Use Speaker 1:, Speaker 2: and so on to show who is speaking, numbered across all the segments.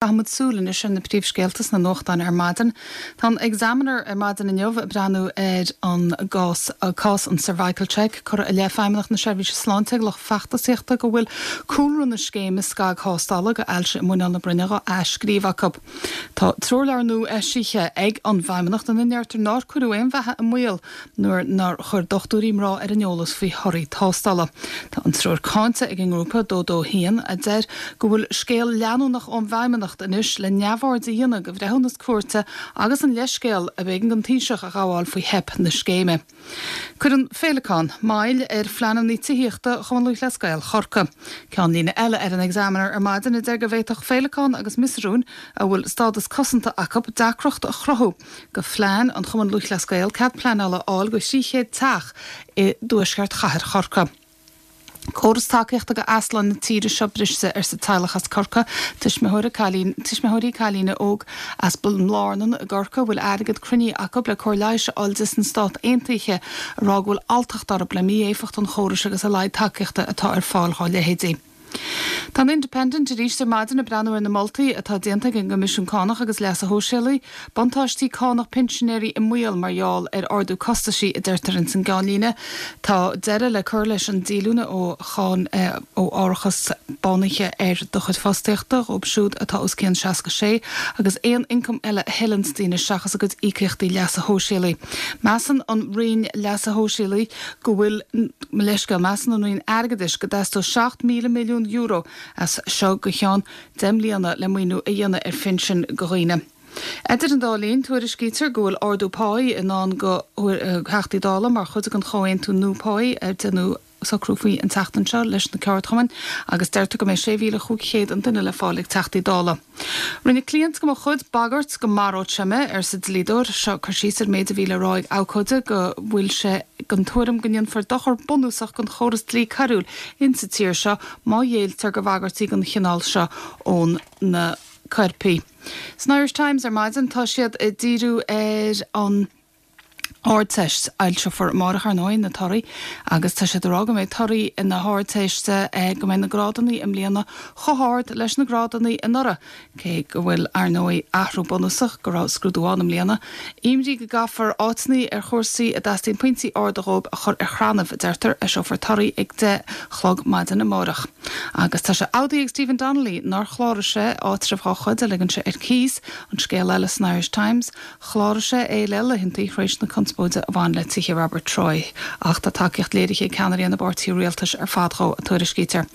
Speaker 1: Caithfimid súil anois ar na príomhscéalta sna nuachtáin ar maidin. Tá an Examiner ar maidin inniu ag breathnú ar an gcás, cás an Cervical Check, curtha i leith Feidhmeannacht na Seirbhíse Sláinte ag lucht feachtasaíochta go bhfuil cúlra na scéime scagthástála go ailse i muineál na broinne dhá athscríobh acu. Tá treoirleabhar nua eisithe ag an bhFeidhmeannacht ina ndeirtear nár cuireadh aon bheatha i mbaol nuair nár chuir dochtúirí mná ar an eolas faoi thorthaí tástála. Tá an treoir cáinte ag an ngrúpa 221 a deir go bhfuil scéal leanúnach ón bhFeidhmeannacht anois le neamhaird a dhéanamh de bhreithiúnas cúirte agus an leithscéal a b'éigean don Taoiseach a ghabháil faoi theip na scéime. Cuireann Féileacán moill ar phleananna tithíochta Chumann Lúthchleas Gael Chorcaí. Ceannlíne eile ar an Examiner ar maidin a deir go bhféadfadh Féileacán agus Miosarúin, a bhfuil stádas cosanta acu, deacracht a chruthú go phlean an Chumainn Lúthchleas Gael cead pleanála a fháil go 300 teach i dtuaisceart chathair Chorcaí. Córas tacaíochta go easláin na tíre seo briste, arsa teaghlach as Corcaigh, tuismitheoirí cailín, tuismitheoirí cailíne óg as Blarnan i gCorcaigh a bhfuil airgead cruinnithe acu le cóir leighis a fháil di sna Stát Aontaithe, ag rá go bhfuil alltacht orthu le mí-éifeacht an chórais agus a laghad tacaíochta atá ar fáil dhá leithéidí. Tá an Independent arís ar maidin ag breathnú ar na moltaí atá déanta ag an gCoimisiún Cánach agus Leasa Shóisialaigh, buntáistí cánach pinsinéirí i mbaol mar gheall ar ardú costaisí, a deirtear ins an gceannlíne. Tá deireadh le cur leis an díolúine ó cháin ó árachas bánaithe ar do chuid fostaíochta dhóibh siúd atá os cionn 66 agus aon ioncam eile a thuilleanns daoine seachas a gcuid íocaíochtaí leasa shóisialaigh. Measann an Roinn Leasa Shóisialaigh go bhfuil, mo leithscéal, measann an Roinn Airgeadais go dteastódh €7,000 milliún as seo go cheann 10 mbliana le maoiniú a dhéanamh ar phinsin go dhaoine. Idir an dá linn, tuairiscítear go bhfuil ardú páí i ndán go Theachtaí Dála mar chuid den chomhaontú nua páí ar déanadh socrú faoi an tseachtain seo leis na ceardchumainn agus deirtear go mbeidh 6,500 an duine le fáil ag Teachtaí Dála. Rinne cliant de mo chuid bagairt go maródh sé mé, arsa dlíodóir. Seo cur síos ar an méid a bhí le rá ag abhcóide go bhfuil sé den tuairim go ndéanfar dochar bunúsach don chóras dlí coiriúil insa tír seo má ghéilltear go bhagairtí den chineál seo ón na coirpigh. San Irish Times ar maidin tá siad ag díriú ar an. Ardteist. Foilseofar amárach, ar ndóigh, na torthaí agus tá siad ag rá go mbeidh torthaí na hArdteiste, go mbeidh na grádanna i mbliana chomh hard leis na grádanna anuraidh, cé go bhfuil, ar ndóigh, athrú bunúsach go raibh scrúdú ann i mbliana. Imní go gcaithfear áiteanna ar chúrsaí a dteastaíonn pointí arda dhóibh a chur ar chrannaibh, a deirtear. Eiseofar torthaí ag 10 chlog maidin amárach. Agus tá sé admhaithe ag Stephen Donnelly nár chláraigh sé áitreabh dhá chuid a ligean sé ar cíos, an scéal eile san Irish Times. Chláraigh sé é le laethantaí tar éis na conspóide a bhain le tithe Robert Troy, ach tá tacaíocht léirithe ag ceannairí na bpáirtithe rialtais ar fad dhó, a tuairiscítear.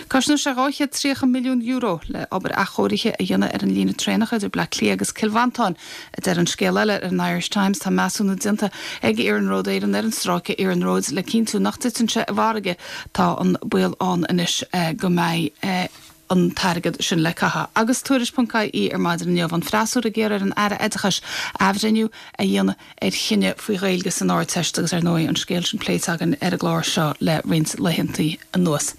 Speaker 1: Cosnóidh sé €230 milliún le obair athchóirithe a dhéanamh ar an líne traenach idir Bleá Cliath agus Cill Mhantáin, a deir an scéal eile ar an Irish Times. Tá measúnú déanta ag Iarnród Éireann ar an stráice iarnróid le cinntiú nach dtiteann sé i bhfarraige. Tá an baol ann anois go mbeidh. an t-airgead sin le caitheamh. Agus Tuairisc ponc IE ar maidin inniu, an freasúra ag iarraidh ar an Aire Oideachais athbhreithniú a dhéanamh ar chinneadh faoi Ghaeilge san Ardteist agus ar ndóigh an scéal sin pléite againn ar an gclár seo le roinnt laethantaí anuas.